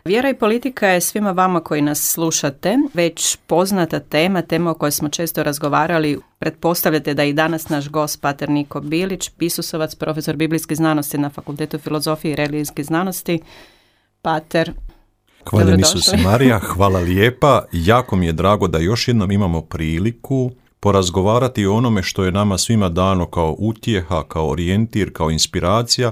Vjera i politika je svima vama koji nas slušate već poznata tema o kojoj smo često razgovarali. Pretpostavljate da i danas naš gost pater Niko Bilić, Isusovac, profesor biblijskih znanosti na Fakultetu filozofije i religijskih znanosti. Pater, hvaljen Isus Marija, hvala lijepa. Jako mi je drago da još jednom imamo priliku porazgovarati o onome što je nama svima dano kao utjeha, kao orijentir, kao inspiracija,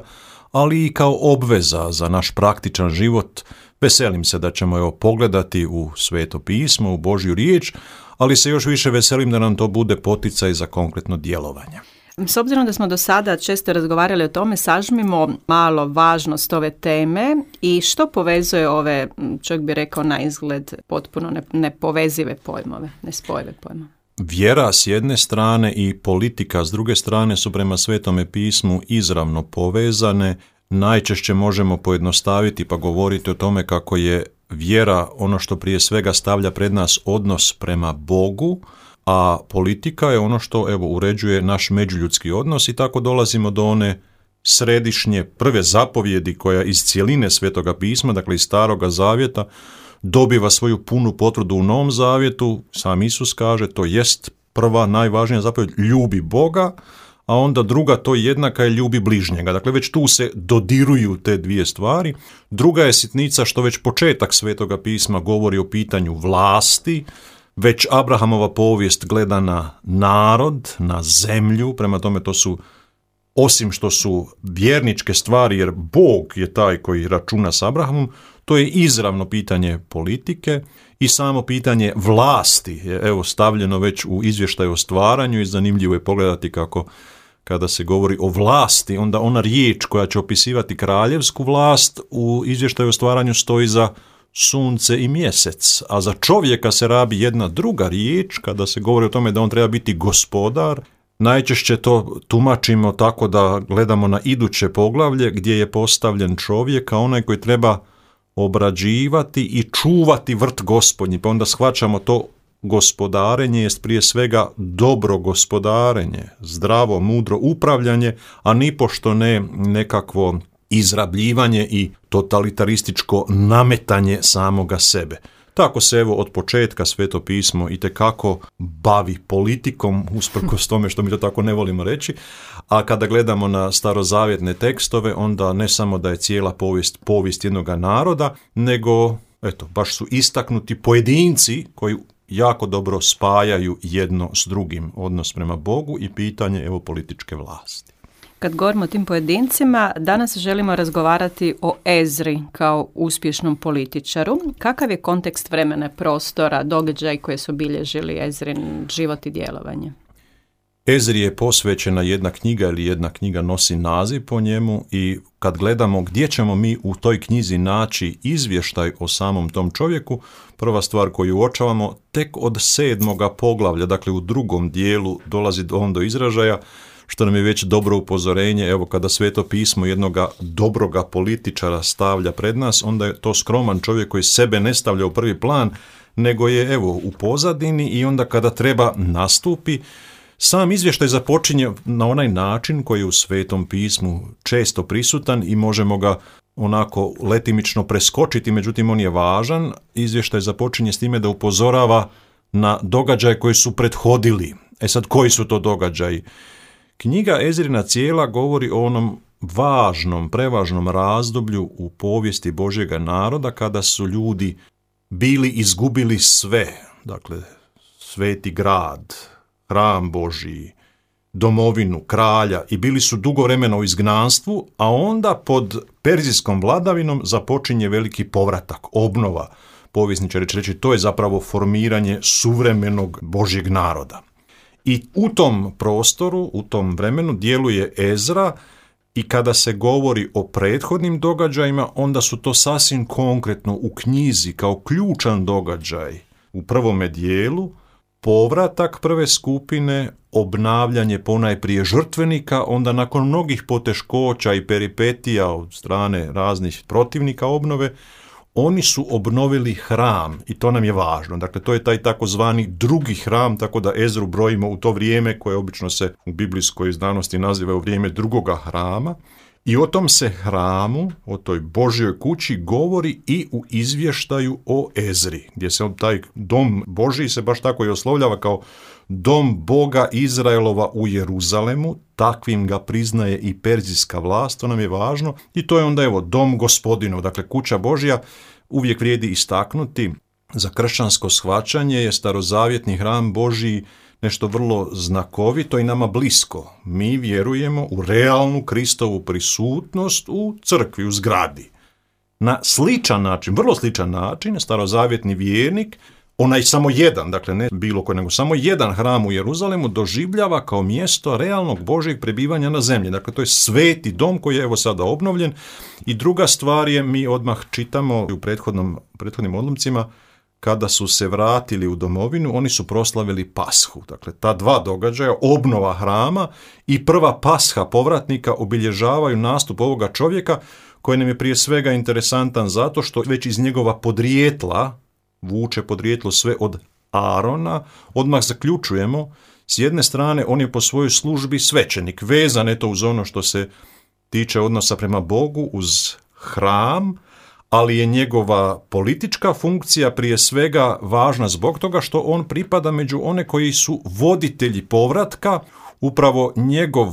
ali i kao obveza za naš praktičan život. Veselim se da ćemo pogledati u Sveto pismo, u Božju riječ, ali se još više veselim da nam to bude poticaj za konkretno djelovanje. S obzirom da smo do sada često razgovarali o tome, sažmimo malo važnost ove teme i što povezuje ove, čovjek bi rekao na izgled, potpuno nepovezive pojmove, nespojive pojmove. Vjera s jedne strane i politika s druge strane su prema Svetome pismu izravno povezane. Najčešće možemo pojednostaviti pa govoriti o tome kako je vjera ono što prije svega stavlja pred nas odnos prema Bogu, a politika je ono što uređuje naš međuljudski odnos i tako dolazimo do one središnje prve zapovjedi koja iz cjeline Svetoga pisma, dakle iz Staroga zavjeta, dobiva svoju punu potvrdu u Novom zavjetu. Sam Isus kaže, to jest prva najvažnija zapovjed, ljubi Boga, a onda druga, to jednaka je ljubi bližnjega. Dakle, već tu se dodiruju te dvije stvari. Druga je sitnica što već početak Svetoga pisma govori o pitanju vlasti. Već Abrahamova povijest gleda na narod, na zemlju, prema tome to su, osim što su vjerničke stvari, jer Bog je taj koji računa s Abrahamom, to je izravno pitanje politike i samo pitanje vlasti je stavljeno već u izvještaju o stvaranju i zanimljivo je pogledati kako kada se govori o vlasti, onda ona riječ koja će opisivati kraljevsku vlast u izvještaju o stvaranju stoji za sunce i mjesec, a za čovjeka se rabi jedna druga riječ kada se govori o tome da on treba biti gospodar. Najčešće to tumačimo tako da gledamo na iduće poglavlje gdje je postavljen čovjek, a onaj koji treba obrađivati i čuvati vrt Gospodnji, pa onda shvaćamo to gospodarenje jest prije svega dobro gospodarenje, zdravo, mudro upravljanje, a nipošto ne nekakvo izrabljivanje i totalitarističko nametanje samoga sebe. Tako se od početka Sveto pismo itekako bavi politikom, usprkos tome što mi to tako ne volimo reći, a kada gledamo na starozavjetne tekstove, onda ne samo da je cijela povijest jednoga naroda, nego baš su istaknuti pojedinci koji jako dobro spajaju jedno s drugim odnos prema Bogu i pitanje političke vlasti. Kad govorimo o tim pojedincima, danas želimo razgovarati o Ezri kao uspješnom političaru. Kakav je kontekst vremena, prostora, događaj koje su obilježili Ezrin život i djelovanje? Ezri je posvećena jedna knjiga ili jedna knjiga nosi naziv po njemu i kad gledamo gdje ćemo mi u toj knjizi naći izvještaj o samom tom čovjeku, prva stvar koju uočavamo tek od 7. poglavlja, dakle u drugom dijelu dolazi on do izražaja, što nam je već dobro upozorenje. Kada Sveto pismo jednoga dobroga političara stavlja pred nas, onda je to skroman čovjek koji sebe ne stavlja u prvi plan, nego je u pozadini i onda kada treba nastupi, sam izvještaj započinje na onaj način koji je u Svetom pismu često prisutan i možemo ga onako letimično preskočiti, međutim on je važan. Izvještaj započinje s time da upozorava na događaje koji su prethodili. Sad, koji su to događaji? Knjiga Ezrina cijela govori o onom važnom, prevažnom razdoblju u povijesti Božjega naroda kada su ljudi bili izgubili sve, dakle sveti grad, hram Božji, domovinu, kralja i bili su dugo vremena u izgnanstvu, a onda pod perzijskom vladavinom započinje veliki povratak, obnova. Povjesničari će reći, to je zapravo formiranje suvremenog Božjeg naroda. I u tom prostoru, u tom vremenu djeluje Ezra i kada se govori o prethodnim događajima, onda su to sasvim konkretno u knjizi kao ključan događaj u prvome dijelu, povratak prve skupine, obnavljanje ponajprije žrtvenika, onda nakon mnogih poteškoća i peripetija od strane raznih protivnika obnove, oni su obnovili hram i to nam je važno. Dakle, to je taj takozvani drugi hram, tako da Ezru brojimo u to vrijeme koje obično se u biblijskoj znanosti naziva u vrijeme drugoga hrama. I o tom se hramu, o toj Božjoj kući govori i u izvještaju o Ezri, gdje se taj dom Božji se baš tako i oslovljava kao dom Boga Izraelova u Jeruzalemu, takvim ga priznaje i perzijska vlast, to nam je važno. I to je onda dom Gospodinov, dakle kuća Božja. Uvijek vrijedi istaknuti, za kršćansko shvaćanje je starozavjetni hram Božji nešto vrlo znakovito i nama blisko. Mi vjerujemo u realnu Kristovu prisutnost u crkvi, u zgradi. Na sličan način, vrlo sličan način, starozavjetni vjernik, onaj samo jedan, dakle ne bilo koji, nego samo jedan hram u Jeruzalemu doživljava kao mjesto realnog Božjeg prebivanja na zemlji. Dakle, to je sveti dom koji je sada obnovljen. I druga stvar je, mi odmah čitamo u prethodnim odlomcima, kada su se vratili u domovinu, oni su proslavili Pashu. Dakle, ta dva događaja, obnova hrama i prva Pasha povratnika, obilježavaju nastup ovoga čovjeka, koji nam je prije svega interesantan zato što već iz njegova podrijetla, vuče podrijetlo sve od Arona, odmah zaključujemo, s jedne strane on je po svojoj službi svećenik, vezan eto uz ono što se tiče odnosa prema Bogu, uz hram, ali je njegova politička funkcija prije svega važna zbog toga što on pripada među one koji su voditelji povratka. Upravo njegov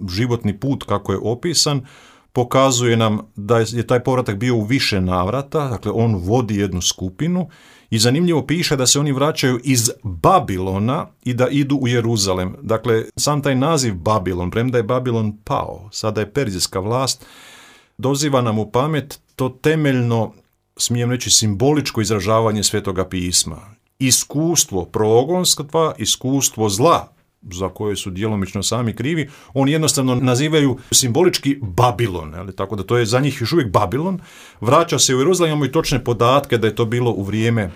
životni put, kako je opisan, pokazuje nam da je taj povratak bio u više navrata, dakle on vodi jednu skupinu i zanimljivo piše da se oni vraćaju iz Babilona i da idu u Jeruzalem. Dakle, sam taj naziv Babilon, premda je Babilon pao, sada je perzijska vlast, doziva nam u pamet to temeljno, smijem reći, simboličko izražavanje Svetoga pisma. Iskustvo progonstva, iskustvo zla, za koje su djelomično sami krivi, oni jednostavno nazivaju simbolički Babilon, tako da to je za njih još uvijek Babilon. Vraća se u Jeruzalem, imamo i točne podatke da je to bilo u vrijeme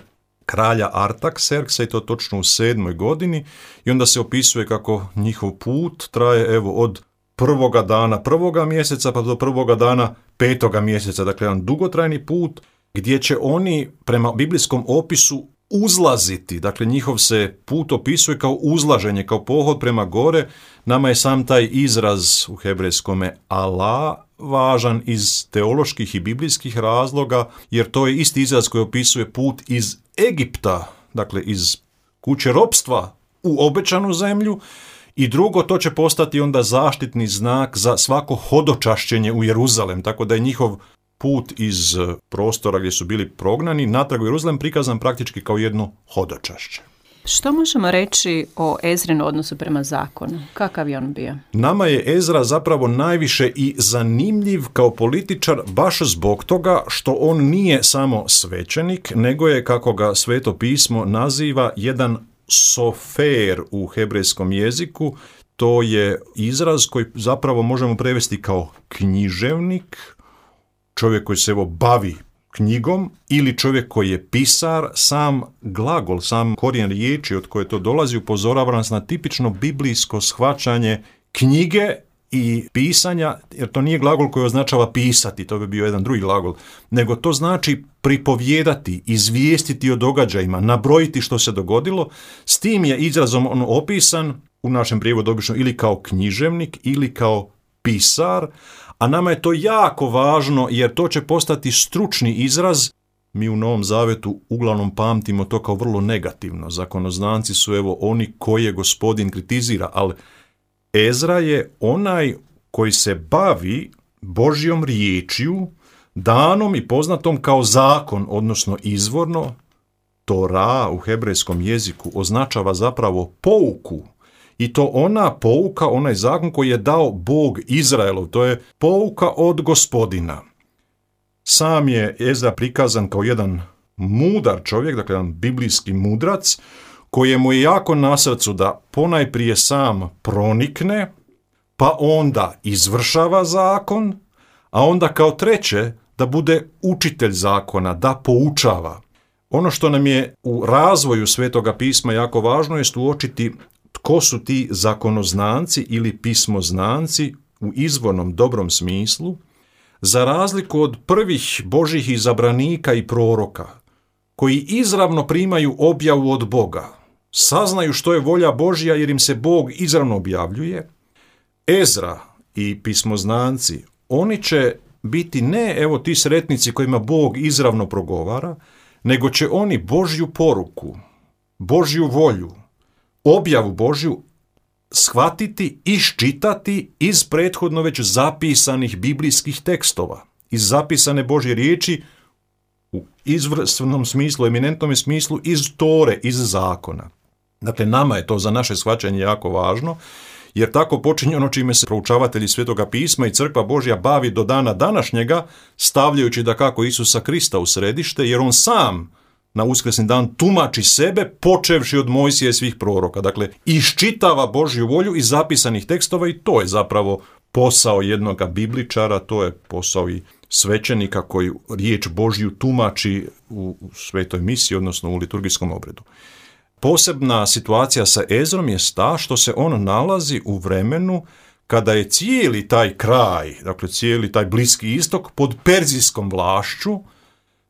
kralja Artakserksa i to točno u 7. godini i onda se opisuje kako njihov put traje od prvoga dana prvoga mjeseca pa do prvoga dana 5. mjeseca, dakle jedan dugotrajni put gdje će oni prema biblijskom opisu uzlaziti, dakle njihov se put opisuje kao uzlaženje, kao pohod prema gore. Nama je sam taj izraz u hebrejskome Allah važan iz teoloških i biblijskih razloga, jer to je isti izraz koji opisuje put iz Egipta, dakle iz kuće ropstva u obećanu zemlju. I drugo, to će postati onda zaštitni znak za svako hodočašćenje u Jeruzalem, tako da je njihov put iz prostora gdje su bili prognani natrag u Jeruzalem prikazan praktički kao jedno hodočašće. Što možemo reći o Ezrinu odnosu prema zakonu? Kakav je on bio? Nama je Ezra zapravo najviše i zanimljiv kao političar baš zbog toga što on nije samo svećenik, nego je, kako ga Sveto pismo naziva, jedan sofer u hebrejskom jeziku. To je izraz koji zapravo možemo prevesti kao književnik, čovjek koji se bavi knjigom ili čovjek koji je pisar. Sam glagol, sam korijen riječi od koje to dolazi upozorava nas na tipično biblijsko shvaćanje knjige i pisanja, jer to nije glagol koji označava pisati, to bi bio jedan drugi glagol, nego to znači pripovijedati, izvijestiti o događajima, nabrojiti što se dogodilo. S tim je izrazom on opisan u našem prijevodu obično ili kao književnik ili kao pisar, a nama je to jako važno jer to će postati stručni izraz. Mi u Novom Zavetu uglavnom pamtimo to kao vrlo negativno. Zakonoznanci su oni koje Gospodin kritizira, ali Ezra je onaj koji se bavi Božjom riječju, danom i poznatom kao zakon, odnosno izvorno. Tora u hebrejskom jeziku označava zapravo pouku. I to ona pouka, onaj zakon koji je dao Bog Izraelov, to je pouka od Gospodina. Sam je Ezra prikazan kao jedan mudar čovjek, dakle jedan biblijski mudrac, kojemu je jako na srcu da ponajprije sam pronikne, pa onda izvršava zakon, a onda kao treće da bude učitelj zakona, da poučava. Ono što nam je u razvoju Svetoga pisma jako važno je uočiti tko su ti zakonoznanci ili pismoznanci u izvornom dobrom smislu, za razliku od prvih Božjih izabranika i proroka, koji izravno primaju objavu od Boga, saznaju što je volja Božja jer im se Bog izravno objavljuje. Ezra i pismoznanci, oni će biti ne evo ti sretnici kojima Bog izravno progovara, nego će oni Božju poruku, Božju volju, objavu Božju shvatiti, iščitati iz prethodno već zapisanih biblijskih tekstova, iz zapisane Božje riječi u izvrsnom smislu, eminentnom smislu, iz Tore, iz zakona. Dakle, nama je to za naše shvaćanje jako važno, jer tako počinje ono čime se proučavatelji Svetoga pisma i Crkva Božja bavi do dana današnjega, stavljajući dakako Isusa Krista u središte, jer on sam na uskrsni dan tumači sebe, počevši od Mojsija i svih proroka. Dakle, iščitava Božju volju iz zapisanih tekstova i to je zapravo posao jednoga bibličara, to je posao i svećenika koji riječ Božju tumači u svetoj misiji, odnosno u liturgijskom obredu. Posebna situacija sa Ezrom je ta što se on nalazi u vremenu kada je cijeli taj kraj, dakle cijeli taj Bliski istok pod perzijskom vlašću.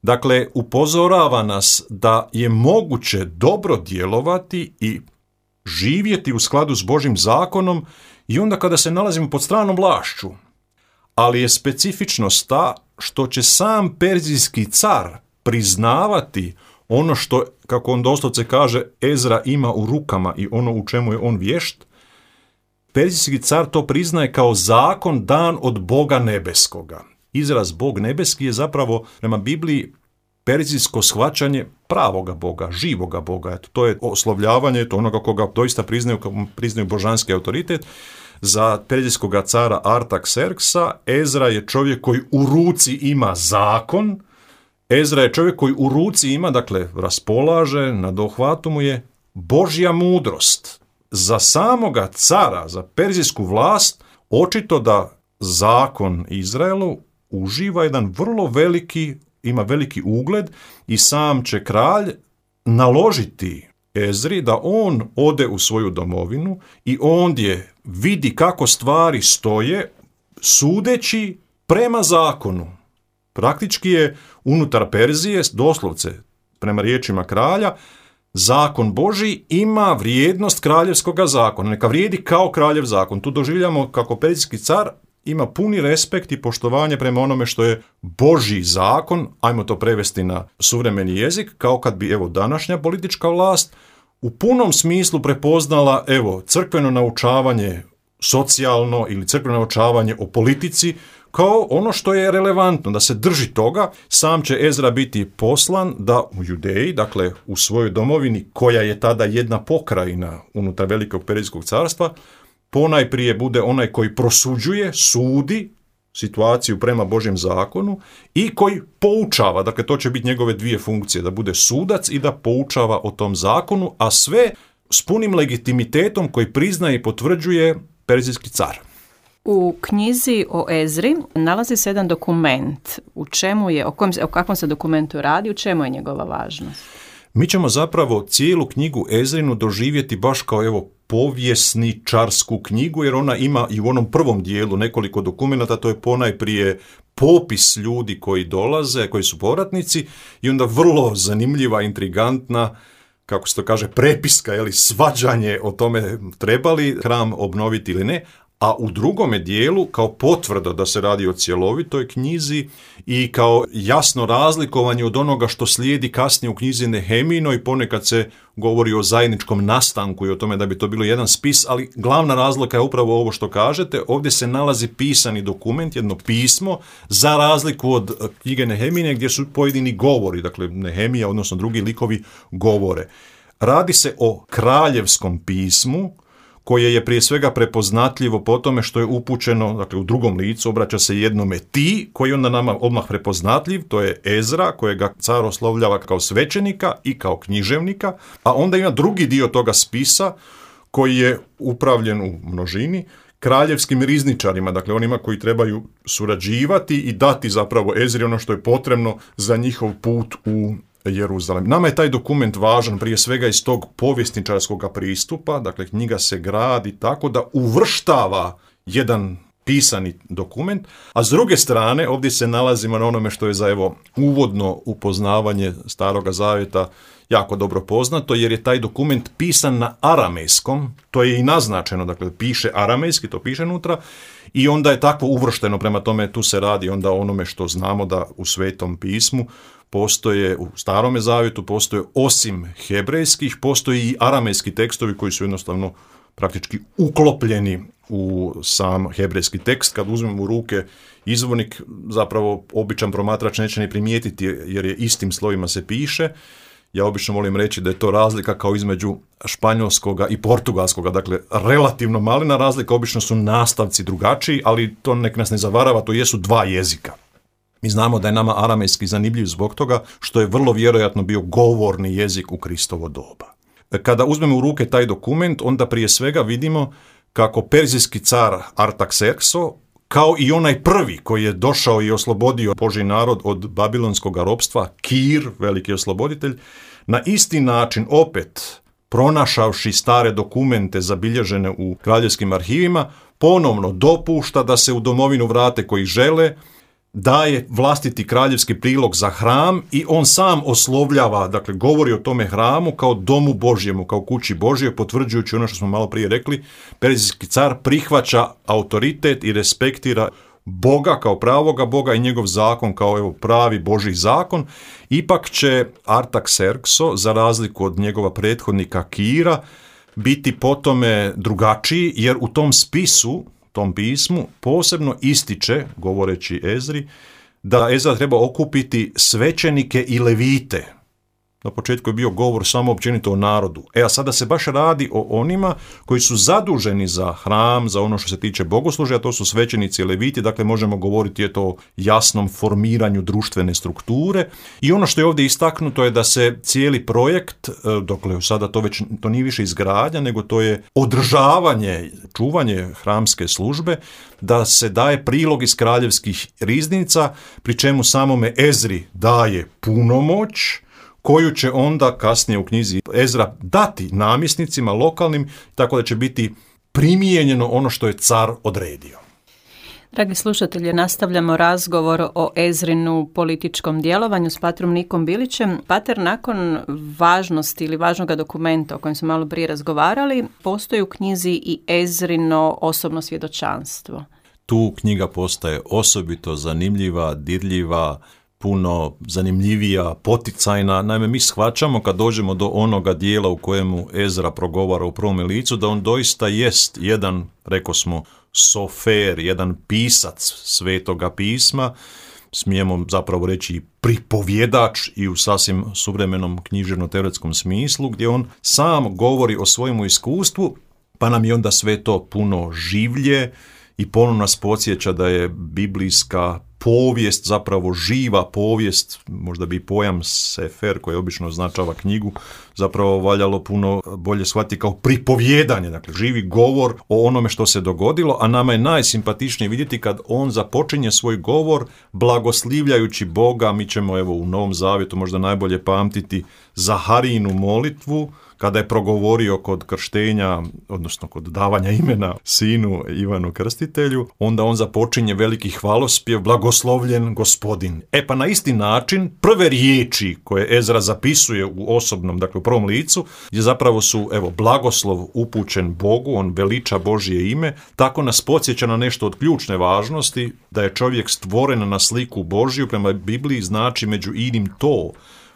Dakle, upozorava nas da je moguće dobro djelovati i živjeti u skladu s Božjim zakonom i onda kada se nalazimo pod stranom vlašću. Ali je specifičnost ta što će sam perzijski car priznavati ono što, kako on doslovce kaže, Ezra ima u rukama i ono u čemu je on vješt. Perzijski car to priznaje kao zakon dan od Boga nebeskoga. Izraz Bog nebeski je zapravo prema Bibliji perzijsko shvaćanje pravoga Boga, živoga Boga. To je oslovljavanje, to onoga koga doista priznaju božanski autoritet. Za perzijskog cara Artaxerxa Ezra je čovjek koji u ruci ima zakon. Ezra je čovjek koji u ruci ima, dakle raspolaže, na dohvatu mu je Božja mudrost. Za samoga cara, za perzijsku vlast, očito da zakon Izraelu uživa jedan vrlo veliki, ima veliki ugled i sam će kralj naložiti Ezri da on ode u svoju domovinu i ondje vidi kako stvari stoje, sudeći prema zakonu. Praktički je unutar Perzije, doslovce prema riječima kralja, zakon Božji ima vrijednost kraljevskoga zakona. Neka vrijedi kao kraljev zakon. Tu doživljamo kako perzijski car ima puni respekt i poštovanje prema onome što je Božji zakon, ajmo to prevesti na suvremeni jezik, kao kad bi današnja politička vlast u punom smislu prepoznala crkveno naučavanje socijalno ili crkveno naučavanje o politici kao ono što je relevantno, da se drži toga. Sam će Ezra biti poslan da u Judeji, dakle u svojoj domovini koja je tada jedna pokrajina unutar Velikog Perzijskog carstva, ponajprije bude onaj koji prosuđuje, sudi situaciju prema Božjem zakonu i koji poučava, dakle to će biti njegove dvije funkcije, da bude sudac i da poučava o tom zakonu, a sve s punim legitimitetom koji priznaje i potvrđuje perzijski car. U knjizi o Ezri nalazi se jedan dokument. U čemu je, o kakvom se dokumentu radi, u čemu je njegova važnost? Mi ćemo zapravo cijelu knjigu Ezrinu doživjeti baš kao povijesničarsku knjigu, jer ona ima i u onom prvom dijelu nekoliko dokumenata, to je ponajprije popis ljudi koji dolaze, koji su povratnici, i onda vrlo zanimljiva, intrigantna, kako se to kaže, prepiska, svađanje o tome treba li hram obnoviti ili ne, a u drugome dijelu kao potvrda da se radi o cjelovitoj knjizi i kao jasno razlikovanje od onoga što slijedi kasnije u knjizi Nehemijinoj. Ponekad se govori o zajedničkom nastanku i o tome da bi to bilo jedan spis, ali glavna razlika je upravo ovo što kažete. Ovdje se nalazi pisani dokument, jedno pismo, za razliku od knjige Nehemijine gdje su pojedini govori, dakle Nehemija, odnosno drugi likovi govore. Radi se o kraljevskom pismu, koje je prije svega prepoznatljivo po tome što je upućeno, dakle u drugom licu, obraća se jednome ti, koji je onda nama odmah prepoznatljiv, to je Ezra, kojega car oslovljava kao svećenika i kao književnika, a onda ima drugi dio toga spisa koji je upravljen u množini kraljevskim rizničarima, dakle onima koji trebaju surađivati i dati zapravo Ezri ono što je potrebno za njihov put u Jeruzalem. Nama je taj dokument važan prije svega iz tog povjesničarskog pristupa, dakle knjiga se gradi tako da uvrštava jedan pisani dokument, a s druge strane ovdje se nalazimo na onome što je za uvodno upoznavanje Staroga zavjeta jako dobro poznato, jer je taj dokument pisan na aramejskom, to je i naznačeno, dakle piše aramejski, to piše unutra, i onda je tako uvršteno, prema tome tu se radi onda o onome što znamo da u Svetom pismu postoje, u Starome zavjetu postoje osim hebrejskih, postoji i aramejski tekstovi koji su jednostavno praktički uklopljeni u sam hebrejski tekst. Kad uzmemo u ruke izvornik, zapravo običan promatrač neće ni primijetiti jer je istim slovima se piše. Ja obično volim reći da je to razlika kao između španjolskoga i portugalskoga, dakle relativno malena razlika, obično su nastavci drugačiji, ali to nek nas ne zavarava, to jesu dva jezika. Mi znamo da je nama aramejski zanimljiv zbog toga što je vrlo vjerojatno bio govorni jezik u Kristovo doba. Kada uzmemo u ruke taj dokument, onda prije svega vidimo kako perzijski car Artaxerxo, kao i onaj prvi koji je došao i oslobodio Božji narod od babilonskog ropstva, Kir, veliki osloboditelj, na isti način opet pronašavši stare dokumente zabilježene u kraljevskim arhivima, ponovno dopušta da se u domovinu vrate koji žele, daje vlastiti kraljevski prilog za hram i on sam oslovljava, dakle govori o tome hramu kao domu Božjemu, kao kući Božje, potvrđujući ono što smo malo prije rekli, perzijski car prihvaća autoritet i respektira Boga kao pravoga Boga i njegov zakon kao pravi Božji zakon. Ipak će Artaxerxo, za razliku od njegova prethodnika Kira, biti po tome drugačiji, jer u tom spisu, tom pismu, posebno ističe, govoreći Ezri, da Ezra treba okupiti svećenike i levite. Na početku je bio govor samo općenito o narodu. A sada se baš radi o onima koji su zaduženi za hram, za ono što se tiče bogoslužja, to su svećenici i leviti, dakle možemo govoriti o jasnom formiranju društvene strukture. I ono što je ovdje istaknuto je da se cijeli projekt, dokle sada to nije više izgradnja, nego to je održavanje, čuvanje hramske službe, da se daje prilog iz kraljevskih riznica, pri čemu samome Ezri daje punomoć, koju će onda kasnije u knjizi Ezra dati namjesnicima lokalnim, tako da će biti primijenjeno ono što je car odredio. Dragi slušatelji, nastavljamo razgovor o Ezrinu političkom djelovanju s patrom Nikom Bilićem. Pater, nakon važnosti ili važnog dokumenta o kojem smo malo prije razgovarali, postoji u knjizi i Ezrino osobno svjedočanstvo. Tu knjiga postaje osobito zanimljiva, dirljiva, puno zanimljivija, poticajna. Naime, mi shvaćamo kad dođemo do onoga dijela u kojemu Ezra progovara u prvome licu, da on doista jest jedan, reko smo, sofer, jedan pisac Svetoga pisma, smijemo zapravo reći pripovjedač i u sasvim suvremenom književno-teoretskom smislu, gdje on sam govori o svojemu iskustvu, pa nam je onda sve to puno življe i ponovno nas podsjeća da je biblijska povijest, zapravo živa povijest, možda bi pojam sefer koji obično označava knjigu, zapravo valjalo puno bolje shvatiti kao pripovjedanje, dakle živi govor o onome što se dogodilo, a nama je najsimpatičnije vidjeti kad on započinje svoj govor blagoslivljajući Boga. Mi ćemo u Novom Zavjetu možda najbolje pamtiti Zaharijinu molitvu, kada je progovorio kod krštenja, odnosno kod davanja imena sinu Ivanu Krstitelju, onda on započinje veliki hvalospjev, blagoslovljen Gospodin. Pa na isti način, prve riječi koje Ezra zapisuje u osobnom, dakle u prvom licu, gdje zapravo su, blagoslov upućen Bogu, on veliča Božje ime, tako nas podsjeća na nešto od ključne važnosti, da je čovjek stvoren na sliku Božju, prema Bibliji znači među inim to.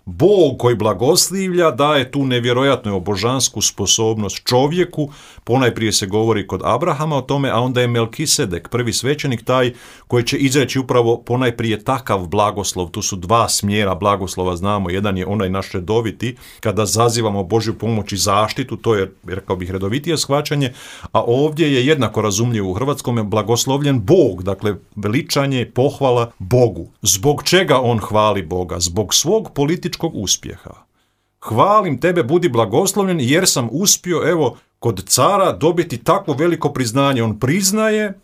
Bog koji blagoslivlja daje tu nevjerojatnu božansku sposobnost čovjeku, ponajprije se govori kod Abrahama o tome, a onda je Melkisedek, prvi svećenik, taj koji će izreći upravo ponajprije takav blagoslov. Tu su dva smjera blagoslova, znamo, jedan je onaj naš redoviti, kada zazivamo Božju pomoć i zaštitu, to je, rekao bih, redovitije shvaćanje, a ovdje je jednako razumljivo u hrvatskome blagoslovljen Bog, dakle veličanje, pohvala Bogu. Zbog čega on hvali Boga? Zbog svog političkog uspjeha. Hvalim tebe, budi blagoslovljen, jer sam uspio, kod cara dobiti takvo veliko priznanje. On priznaje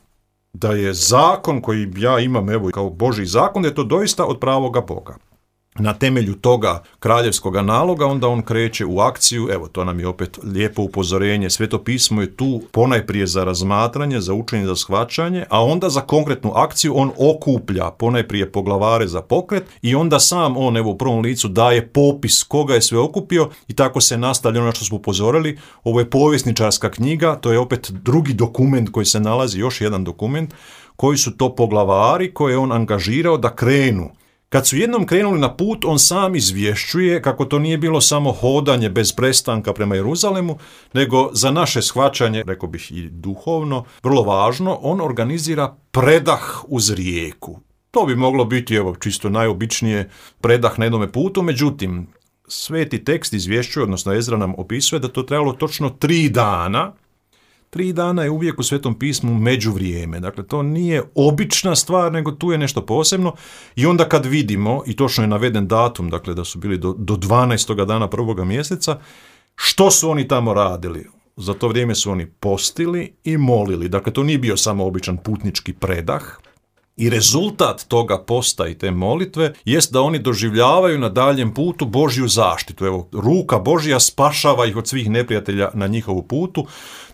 da je zakon koji ja imam, kao Božji zakon, da je to doista od pravoga Boga. na temelju toga kraljevskoga naloga, onda on kreće u akciju. Evo, to nam je opet lijepo upozorenje. Sveto pismo je tu ponajprije za razmatranje, za učenje, za shvaćanje, a onda za konkretnu akciju on okuplja ponajprije poglavare za pokret i onda sam on, evo, u prvom licu daje popis koga je sve okupio i tako se nastavlja ono što smo upozorili. Ovo je povjesničarska knjiga, to je opet drugi dokument koji se nalazi, još jedan dokument, koji su to poglavari koje je on angažirao da krenu. Kad su jednom krenuli na put, on sam izvješćuje kako to nije bilo samo hodanje bez prestanka prema Jeruzalemu, nego za naše shvaćanje, rekao bih i duhovno, vrlo važno, on organizira predah uz rijeku. To bi moglo biti, evo, čisto najobičnije predah na jednome putu, međutim, sveti tekst izvješćuje, odnosno Ezra nam opisuje da to trebalo točno 3 dana. 3 dana je uvijek u Svetom pismu međuvrijeme. Dakle, to nije obična stvar, nego tu je nešto posebno. I onda kad vidimo, i točno je naveden datum, dakle da su bili do 12. dana 1. mjeseca, što su oni tamo radili? Za to vrijeme su oni postili i molili. Dakle, to nije bio samo običan putnički predah. I rezultat toga posta i te molitve jest da oni doživljavaju na daljem putu Božju zaštitu. Evo, ruka Božja spašava ih od svih neprijatelja na njihovu putu.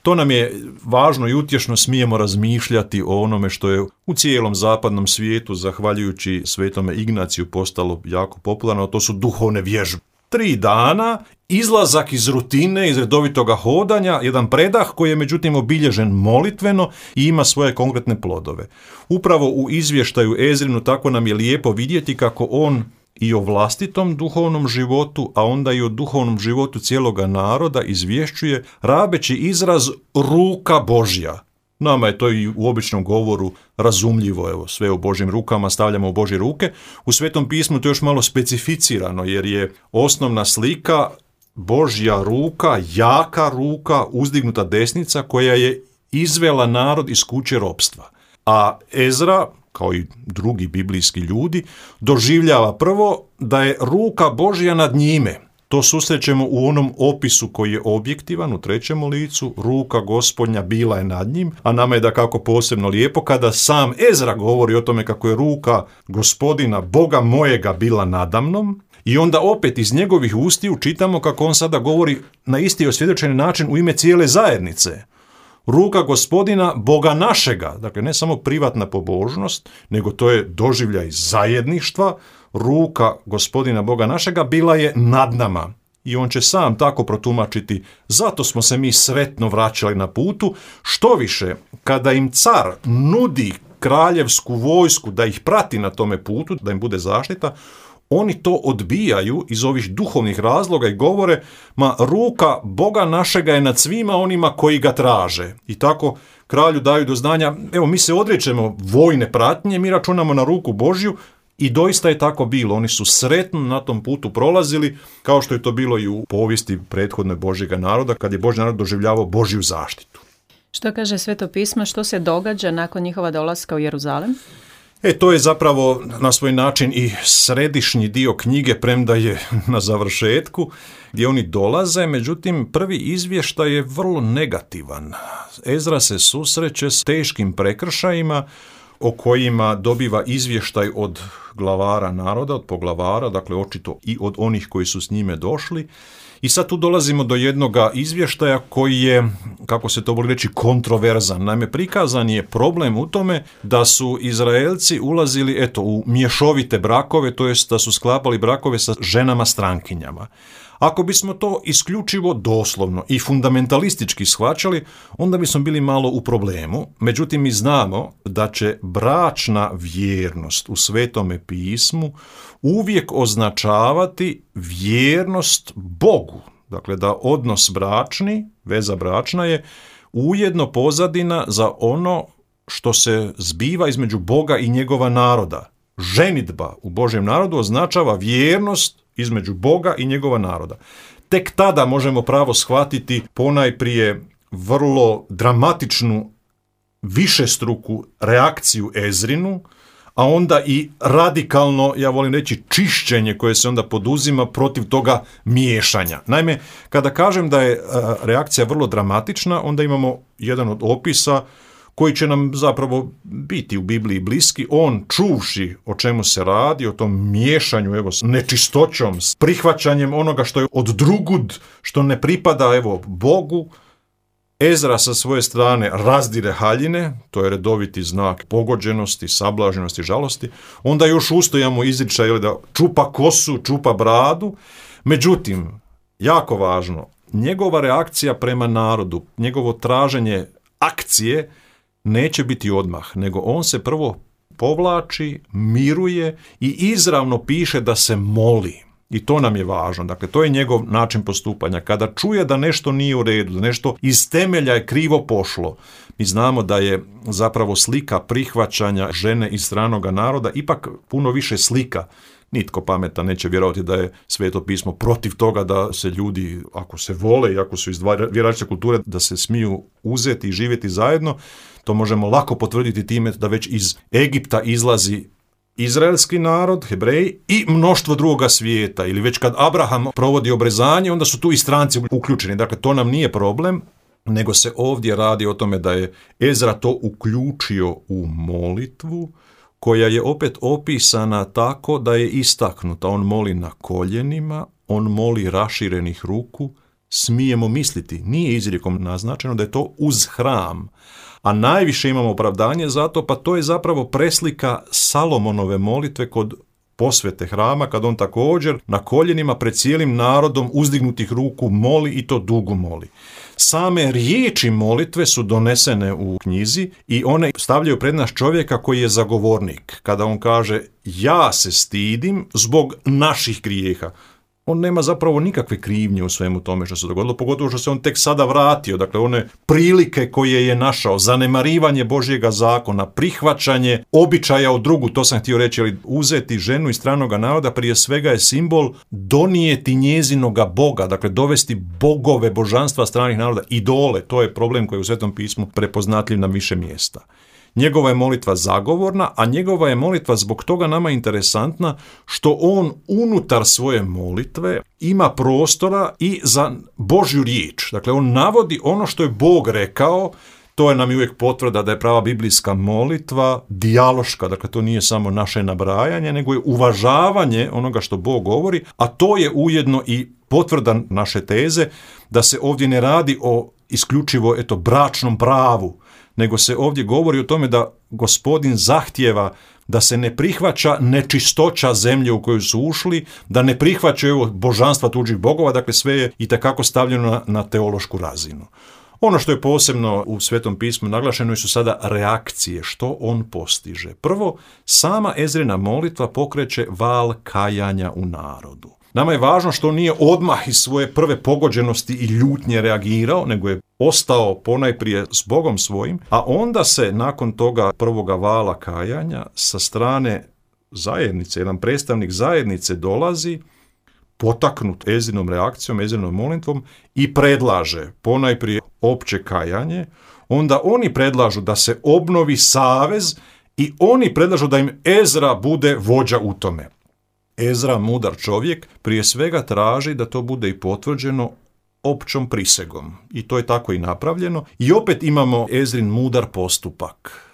To nam je važno i utješno, smijemo razmišljati o onome što je u cijelom zapadnom svijetu, zahvaljujući svetome Ignaciju, postalo jako popularno, to su duhovne vježbe. 3 dana, izlazak iz rutine, iz redovitoga hodanja, jedan predah koji je međutim obilježen molitveno i ima svoje konkretne plodove. Upravo u izvještaju Ezrinu tako nam je lijepo vidjeti kako on i o vlastitom duhovnom životu, a onda i o duhovnom životu cijeloga naroda izvješćuje rabeći izraz ruka Božja. Nama je to i u običnom govoru razumljivo, evo, sve u Božjim rukama stavljamo u Božje ruke. U Svetom pismu to je još malo specificirano, jer je osnovna slika Božja ruka, jaka ruka, uzdignuta desnica koja je izvela narod iz kuće ropstva. A Ezra, kao i drugi biblijski ljudi, doživljava prvo da je ruka Božja nad njime. To susrećemo u onom opisu koji je objektivan, u 3. licu, ruka Gospodnja bila je nad njim, a nama je dakako posebno lijepo kada sam Ezra govori o tome kako je ruka Gospodina, Boga mojega, bila nadamnom, i onda opet iz njegovih ustiju čitamo kako on sada govori na isti osvjedočeni način u ime cijele zajednice. Ruka Gospodina, Boga našega, dakle ne samo privatna pobožnost, nego to je doživljaj zajedništva. Ruka Gospodina Boga našega bila je nad nama. I on će sam tako protumačiti, zato smo se mi sretno vraćali na putu. Što više, kada im car nudi kraljevsku vojsku da ih prati na tome putu, da im bude zaštita, oni to odbijaju iz ovih duhovnih razloga i govore, ma ruka Boga našega je nad svima onima koji ga traže. I tako kralju daju do znanja, evo, mi se odričemo vojne pratnje, mi računamo na ruku Božju. I doista je tako bilo. Oni su sretno na tom putu prolazili, kao što je to bilo i u povijesti prethodne Božjega naroda, kad je Božji narod doživljavao Božju zaštitu. Što kaže Sveto pismo, što se događa nakon njihova dolaska u Jeruzalem? To je zapravo na svoj način i središnji dio knjige, premda je na završetku, gdje oni dolaze, međutim prvi izvještaj je vrlo negativan. Ezra se susreće s teškim prekršajima o kojima dobiva izvještaj od glavara naroda, od poglavara, dakle očito i od onih koji su s njime došli. I sad tu dolazimo do jednoga izvještaja koji je, kako se to voli reći, kontroverzan. Naime, prikazan je problem u tome da su Izraelci ulazili u mješovite brakove, to jest da su sklapali brakove sa ženama strankinjama. Ako bismo to isključivo doslovno i fundamentalistički shvaćali, onda bismo bili malo u problemu. Međutim, mi znamo da će bračna vjernost u Svetome pismu uvijek označavati vjernost Bogu. Dakle, da odnos bračni, veza bračna je ujedno pozadina za ono što se zbiva između Boga i njegova naroda. Ženidba u Božjem narodu označava vjernost između Boga i njegova naroda. Tek tada možemo pravo shvatiti ponajprije vrlo dramatičnu višestruku reakciju Ezrinu, a onda i radikalno, ja volim reći, čišćenje koje se onda poduzima protiv toga miješanja. Naime, kada kažem da je reakcija vrlo dramatična, onda imamo jedan od opisa koji će nam zapravo biti u Bibliji bliski, on čuvši o čemu se radi, o tom miješanju s nečistoćom, s prihvaćanjem onoga što je od drugud, što ne pripada Bogu. Ezra sa svoje strane razdire haljine, to je redoviti znak pogođenosti, sablaženosti, žalosti. Onda još ustojamo izričaj da čupa kosu, čupa bradu. Međutim, jako važno, njegova reakcija prema narodu, njegovo traženje akcije neće biti odmah, nego on se prvo povlači, miruje i izravno piše da se moli. I to nam je važno. Dakle, to je njegov način postupanja. Kada čuje da nešto nije u redu, da nešto iz temelja je krivo pošlo, mi znamo da je zapravo slika prihvaćanja žene iz stranoga naroda ipak puno više slika. Nitko pametan neće vjerovati da je Sveto pismo protiv toga da se ljudi, ako se vole i ako su iz različite kulture, da se smiju uzeti i živjeti zajedno. To možemo lako potvrditi time da već iz Egipta izlazi izraelski narod, Hebreji i mnoštvo drugoga svijeta. Ili već kad Abraham provodi obrezanje, onda su tu i stranci uključeni. Dakle, to nam nije problem, nego se ovdje radi o tome da je Ezra to uključio u molitvu, koja je opet opisana tako da je istaknuta. On moli na koljenima, on moli raširenih ruku. Smijemo misliti, nije izrijekom naznačeno da je to uz hram. A najviše imamo opravdanje za to, pa to je zapravo preslika Salomonove molitve kod posvete hrama, kad on također na koljenima pred cijelim narodom uzdignutih ruku moli i to dugo moli. Same riječi molitve su donesene u knjizi i one stavljaju pred nas čovjeka koji je zagovornik. Kada on kaže ja se stidim zbog naših grijeha, on nema zapravo nikakve krivnje u svemu tome što se dogodilo, pogotovo što se on tek sada vratio. Dakle, one prilike koje je našao, zanemarivanje Božjega zakona, prihvaćanje običaja od drugu, to sam htio reći, ali uzeti ženu iz stranoga naroda prije svega je simbol donijeti njezinoga Boga, dakle dovesti bogove, božanstva stranih naroda, idole. To je problem koji je u Svetom pismu prepoznatljiv na više mjesta. Njegova je molitva zagovorna, a njegova je molitva zbog toga nama interesantna što on unutar svoje molitve ima prostora i za Božju riječ. Dakle, on navodi ono što je Bog rekao. To je nam uvijek potvrda da je prava biblijska molitva dijaloška, dakle to nije samo naše nabrajanje, nego je uvažavanje onoga što Bog govori, a to je ujedno i potvrda naše teze da se ovdje ne radi o isključivo bračnom pravu, nego se ovdje govori o tome da Gospodin zahtijeva da se ne prihvaća nečistoća zemlje u koju su ušli, da ne prihvaćaju božanstva tuđih bogova, dakle sve je itekako stavljeno na teološku razinu. Ono što je posebno u Svetom pismu naglašeno su sada reakcije, što on postiže. Prvo, sama Ezrina molitva pokreće val kajanja u narodu. Nama je važno što on nije odmah iz svoje prve pogođenosti i ljutnje reagirao, nego je ostao ponajprije s Bogom svojim, a onda se nakon toga prvoga vala kajanja sa strane zajednice, jedan predstavnik zajednice dolazi, potaknut Ezrinom reakcijom, Ezrinom molitvom i predlaže ponajprije opće kajanje, onda oni predlažu da se obnovi savez i oni predlažu da im Ezra bude vođa u tome. Ezra, mudar čovjek, prije svega traži da to bude i potvrđeno općom prisegom. I to je tako i napravljeno. I opet imamo Ezrin mudar postupak.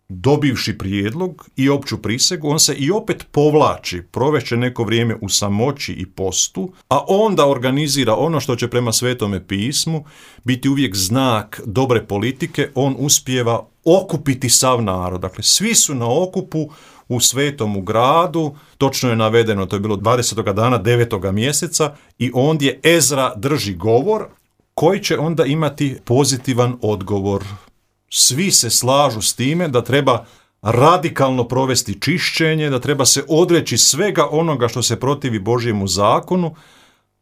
Dobivši prijedlog i opću prisegu, on se i opet povlači, provešće neko vrijeme u samoći i postu, a onda organizira ono što će prema Svetome pismu biti uvijek znak dobre politike. On uspijeva okupiti sav narod. Dakle, svi su na okupu u Svetomu gradu, točno je navedeno, to je bilo 20. dana 9. mjeseca i ondje Ezra drži govor koji će onda imati pozitivan odgovor. Svi se slažu s time da treba radikalno provesti čišćenje, da treba se odreći svega onoga što se protivi Božjemu zakonu.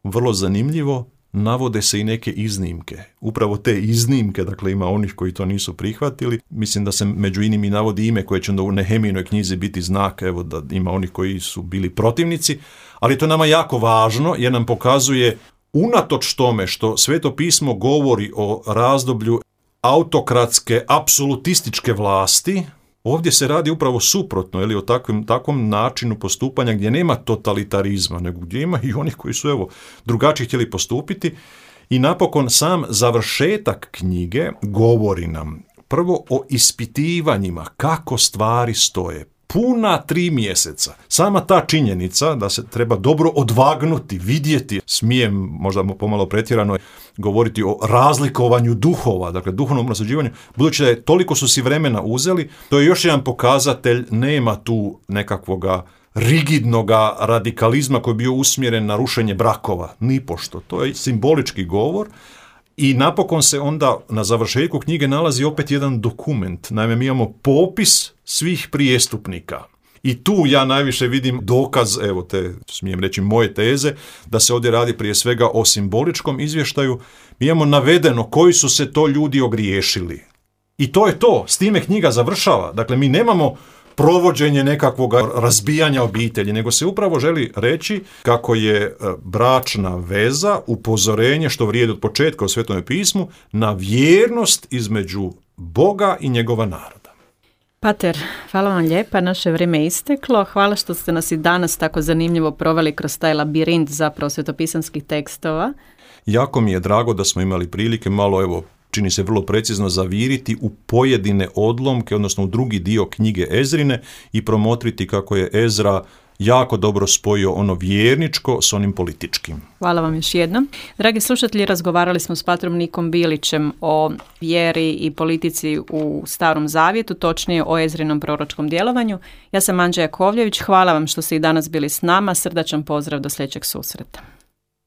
Vrlo zanimljivo, navode se i neke iznimke. Upravo te iznimke, dakle ima onih koji to nisu prihvatili. Mislim da se među inim i navodi ime koje će onda u Nehemijinoj knjizi biti znak, evo da ima onih koji su bili protivnici, ali to je nama jako važno jer nam pokazuje unatoč tome što Sveto pismo govori o razdoblju autokratske, apsolutističke vlasti, ovdje se radi upravo suprotno, o takvom načinu postupanja gdje nema totalitarizma, nego gdje ima i onih koji su drugačije htjeli postupiti. I napokon sam završetak knjige govori nam prvo o ispitivanjima kako stvari stoje. Puna 3 mjeseca. Sama ta činjenica da se treba dobro odvagnuti, vidjeti, smijem možda pomalo pretjerano govoriti o razlikovanju duhova, dakle duhovnom naslađivanju, budući da je toliko su si vremena uzeli, to je još jedan pokazatelj, nema tu nekakvoga rigidnoga radikalizma koji je bio usmjeren na rušenje brakova, nipošto. To je simbolički govor. I napokon se onda na završetku knjige nalazi opet jedan dokument. Naime, mi imamo popis svih prijestupnika. I tu ja najviše vidim dokaz, evo te, smijem reći, moje teze, da se ovdje radi prije svega o simboličkom izvještaju. Mi imamo navedeno koji su se to ljudi ogriješili. I to je to, s time knjiga završava. Dakle, mi nemamo provođenje nekakvog razbijanja obitelji, nego se upravo želi reći kako je bračna veza upozorenje što vrijedi od početka u Svetome pismu na vjernost između Boga i njegova naroda. Pater, hvala vam lijepa, naše vrijeme je isteklo. Hvala što ste nas i danas tako zanimljivo proveli kroz taj labirint zapravo svetopisanskih tekstova. Jako mi je drago da smo imali prilike malo, evo, čini se vrlo precizno zaviriti u pojedine odlomke, odnosno u drugi dio knjige Ezrine i promotriti kako je Ezra jako dobro spojio ono vjerničko s onim političkim. Hvala vam još jednom. Dragi slušatelji, razgovarali smo s patrom Nikom Bilićem o vjeri i politici u Starom Zavjetu, točnije o Ezrinom proročkom djelovanju. Ja sam Anđa Jakovljević, hvala vam što ste i danas bili s nama, srdačan pozdrav do sljedećeg susreta.